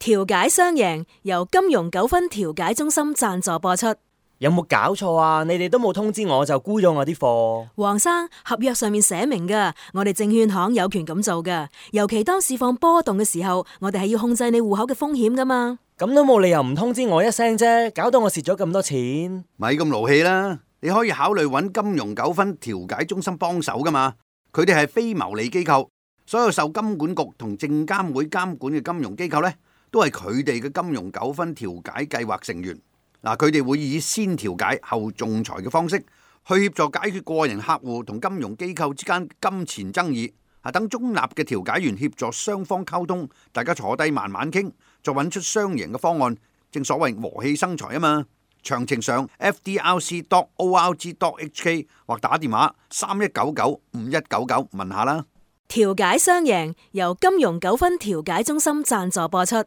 調解雙贏，由金融糾紛調解中心贊助播出。有冇搞錯啊？你哋都冇通知我就沽咗我啲貨。黃生，合約上面寫明噶，我哋證券行有權咁做噶。尤其當市況波動嘅時候，我哋係要控制你戶口嘅風險噶嘛。咁都冇理由唔通知我一聲啫，搞到我蝕咗咁多錢。咪咁勞氣啦！你可以考慮揾金融糾紛調解中心幫手噶嘛。佢哋係非牟利機構，所有受金管局同證監會監管嘅金融機構呢，都係佢哋嘅金融糾紛調解計劃成員。嗱，佢哋會以先調解後仲裁嘅方式去協助解決個人客戶同金融機構之間金錢爭議。等中立嘅調解員協助雙方溝通，大家坐低慢慢傾，再揾出雙贏嘅方案。正所謂和氣生財啊嘛。詳情上 fdrc.org.hk 或打電話31995199問下啦。調解雙贏，由金融糾紛調解中心贊助播出。